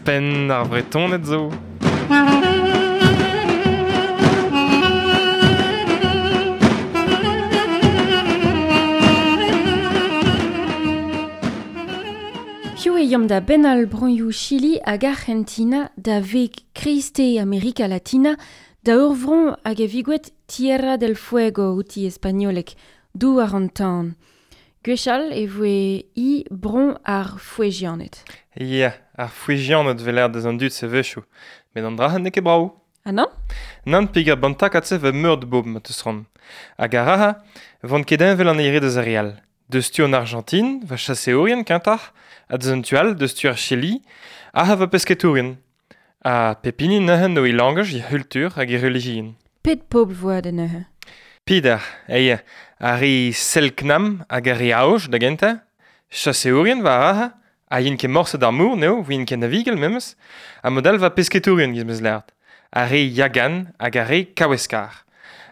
Penn ar Vretoned zo. Hiziv e yomp da bennal broioù Chili hag Arc'hentina da veg kreisteiz Amerika Latina da ur vro hag e vigouet Tierra del Fuego outi e spagnoleg, douar an tan. Gwechall e voe hi bro ar Fuegianed. Ya, ar Fuegianed 'vel aet deus an dud se-wechoù. Met an dra-se n'eo ket brav. Ha nann? Nann peogwir ban takad-se 'vo meur da bobl ma 'teus c'hoant. Hag ar ra-se 'vont ket heñvel an eil re deus ar re all. Deus tu an Argentine, va chaseourien kentoc'h, ha deus an tu all, deus tu ar Chili, aze 'vo pesketourien. Ha pep hini neuze 'no e langaj, e c'hultur hag e relijion. Pet pobl 'vo da neuze? Peder, eia, ar re Selknam hag ar re Aoj da gentañ, chaseourien war aze, ha int ket morse d'ar mor n'eo, 'voint ket navigel memes, ha mod all 'va pesketourien giz 'meus lâret, ar re Yagan hag ar re Kaweskar.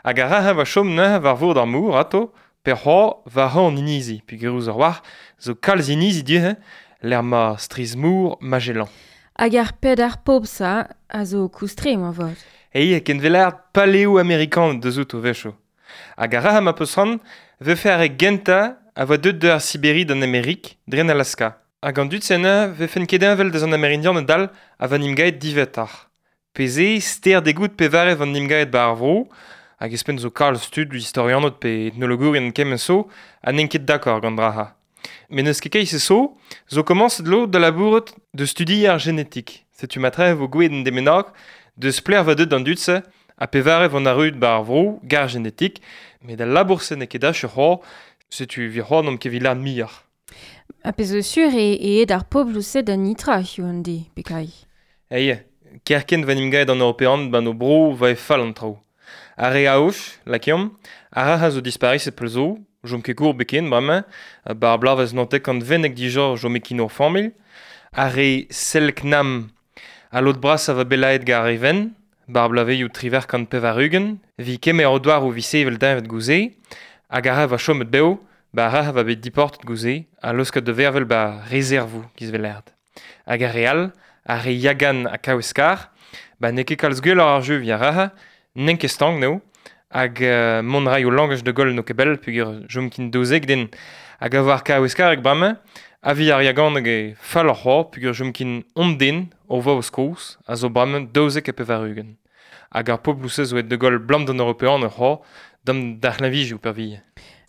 Hag ar re-se 'va chom neuze war vord ar mor atao, pe c'hoazh war an inizi, peogwir ouzh war zo kalz inizi du-hont lec'h 'ma strizh-mor Magellan. Hag ar peder pobl-se a zo koustre moarvat. Eia, ken 'vel paleoamerikaned deus outo a-wechoù. Hag ar re-se ma peus c'hoant 'vefe ar re gentañ a voa deuet deus ar Siberi d'an Amerik dre an Alaska. Hag an dud-se neuze 'vefent ket heñvel deus an Amerindianed all a va 'n em gavet diwezhatoc'h. Pe se ster degout pevare 'vo 'n em gavet 'ba ar vro, hag ouzhpenn zo kalz tud istorianed pe etnologourien kement zo ha n'int ket dakord gant dra-se. Met n'eus ket keit-se zo, zo komañset lod da labourat da studiañ ar genetik. Setu matre e vo gouezet un den bennak deus pelec'h 'vo deuet an dud-se ha pevare 'vo arruet 'ba ar vro gant ar genetik, met al labour-se n'eo ket achu c'hoazh, setu evit c'hoazh n'omp ket evit lâret muioc'h. Ha pezh zo sur eo aet ar pobloù-se da nitra hiziv an deiz, pekai. Eia, kerkent 'vo 'n em gavet an Europeaned 'ba 'n o bro 'vo fall an traoù. Ar re Aoj, lakaomp, ar re a zo dispariset pell zo, 'chom ket gour biken bremañ, 'ba ar bloavezh 1920 dija 'chome ken ur familh. Ar re Selknam, al lod brasañ 'vo bet lakaet gant ar re wenn, 'ba ar bloavezhioù 98, 'vit kemer o douaroù 'vit sevel deñved goude, hag ar re 'vo chomet bev, 'ba ar re 'vo bet diportet goude ha laosket da vervel 'ba rezervoù giz 'vez lâret. Hag ar re all, ar re Yagan ha Kaweskar, 'ba n'eo ket kalz gwelloc'h ar jeu 'vit ar re-se, n'int ket stank n'eo, hag mont a ray o langaj da goll n'eo ket pell peogwir 'chom ken 12 den. Hag a vo ar Kaweskareg bremañ, ha 'vit ar Yaganeg eo falloc'h c'hoazh peogwir 'chom ken hon den o vaouez kozh a zo bremañ 92. Hag ar pobloù-se zo aet da goll 'blam d'an Europeaned c'hoazh, dam d'ar c'hleñvijioù peurvuiañ.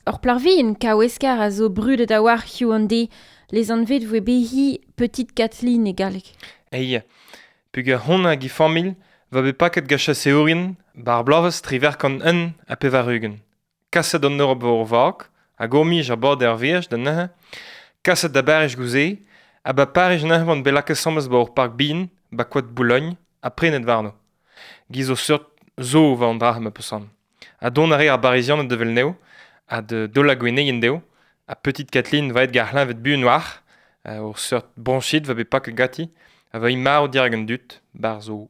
Ur plac'h vihan Kaweskar a zo brudet a-walc'h hiziv an deiz, lesanvet 'voe behi Petite Kathleen e galleg. Eia, peogwir hon hag he familh 'va bet paket gant chaseourien 'ba ar bloavezh 1881. Kaset an Europ war ur vag, hag hor-mij a-bord ar veaj da neuze, kaset da Bariz goude, ha 'ba Pariz neuze 'oant bet lakaet asambles 'ba ur park bihan, 'ba koad Boulogne, ha prenet warno. Giz ur seurt zoo 'vo an dra-se ma peus c'hoant. Ha dont a rae ar Barizianed da wel anezho, ha da daolañ gwenneien dezho, ha Petite Kathleen 'va aet gant ar c'hleñved buan war, ur seurt broñchit 'va bet paket ganti, ha 'va hi marv dirak an dud, 'barzh o